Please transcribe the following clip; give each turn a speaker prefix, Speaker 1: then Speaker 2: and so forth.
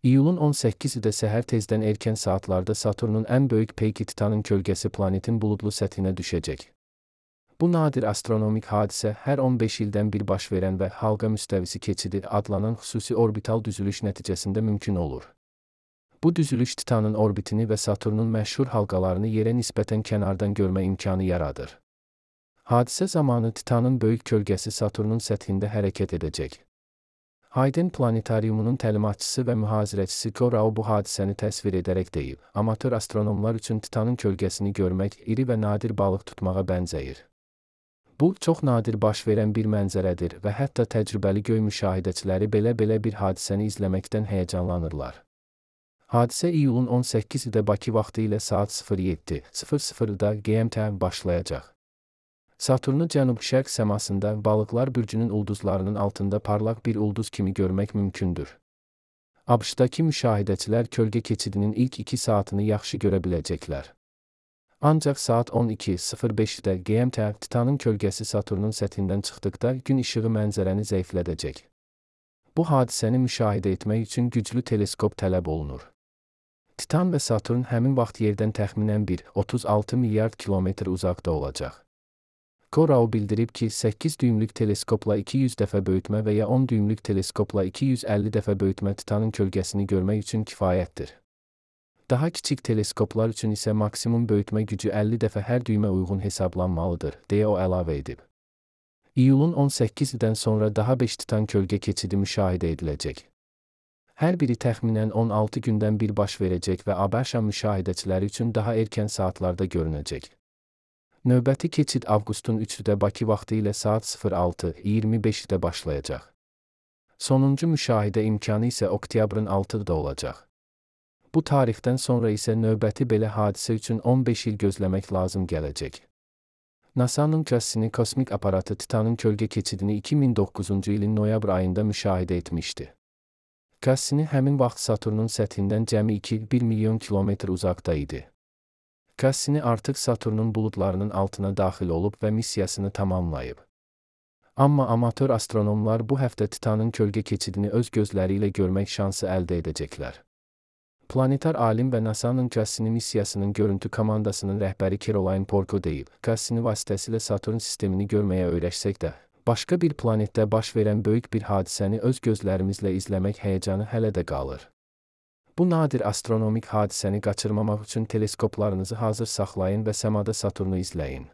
Speaker 1: İyulun 18-də səhər tezdən erkən saatlarda Saturnun ən böyük peyki Titanın kölgəsi planetin buludlu səthinə düşəcək. Bu nadir astronomik hadisə hər 15 ildən bir baş verən və halqa müstəvisi keçidi adlanan xüsusi orbital düzülüş nəticəsində mümkün olur. Bu düzülüş Titanın orbitini və Saturnun məşhur halqalarını yerə nisbətən kənardan görmə imkanı yaradır. Hadisə zamanı Titanın böyük kölgəsi Saturnun səthində hərəkət edəcək. Hayden Planetariumunun təlimatçısı və mühazirəçisi Corao bu hadisəni təsvir edərək deyib, amatör astronomlar üçün Titanın kölgəsini görmək iri və nadir balıq tutmağa bənzəyir. Bu, çox nadir baş verən bir mənzərədir və hətta təcrübəli göy müşahidəçiləri belə bir hadisəni izləməkdən həyəcanlanırlar. Hadisə iyulun 18-də Bakı vaxtı ilə saat 07:00-da GMT başlayacaq. Saturnu cənub-şərq səmasında Balıqlar bürcünün ulduzlarının altında parlaq bir ulduz kimi görmək mümkündür. ABŞ-dakı müşahidəçilər kölgə keçidinin ilk 2 saatını yaxşı görə biləcəklər. Ancaq saat 12:05-də GMT Titanın kölgəsi Saturnun səthindən çıxdıqda gün işığı mənzərəni zəiflədəcək. Bu hadisəni müşahidə etmək üçün güclü teleskop tələb olunur. Titan və Saturn həmin vaxt yerdən təxminən 1,36 milyard kilometr uzaqda olacaq. Corao bildirib ki, 8 düymlük teleskopla 200 dəfə böyütmə və ya 10 düymlük teleskopla 250 dəfə böyütmə Titanın kölgəsini görmək üçün kifayətdir. Daha kiçik teleskoplar üçün isə maksimum böyütmə gücü 50 dəfə hər düymə uyğun hesablanmalıdır, deyə o əlavə edib. İyulun 18-dən sonra daha 5 Titan kölgə keçidi müşahidə ediləcək. Hər biri təxminən 16 gündən bir baş verəcək və ABŞ müşahidəçiləri üçün daha erkən saatlarda görünəcək. Növbəti keçid avqustun 3-də Bakı vaxtı ilə saat 06:25-də başlayacaq. Sonuncu müşahidə imkanı isə oktyabrın 6-da olacaq. Bu tarixdən sonra isə növbəti belə hadisə üçün 15 il gözləmək lazım gələcək. NASA-nın Cassini kosmik aparatı Titanın kölgə keçidini 2009-cu ilin noyabr ayında müşahidə etmişdi. Cassini həmin vaxt Saturnun səthindən cəmi 2,1 milyon kilometr uzaqda idi. Cassini artıq Saturnun buludlarının altına daxil olub və missiyasını tamamlayıb. Amma amatör astronomlar bu həftə Titanın kölgə keçidini öz gözləri ilə görmək şansı əldə edəcəklər. Planetar alim və NASA-nın Cassini missiyasının görüntü komandasının rəhbəri Caroline Porco deyib, Cassini vasitəsilə Saturn sistemini görməyə öyrəşsək də, başqa bir planetdə baş verən böyük bir hadisəni öz gözlərimizlə izləmək həyəcanı hələ də qalır. Bu nadir astronomik hadisəni qaçırmamaq üçün teleskoplarınızı hazır saxlayın və səmada Saturnu izləyin.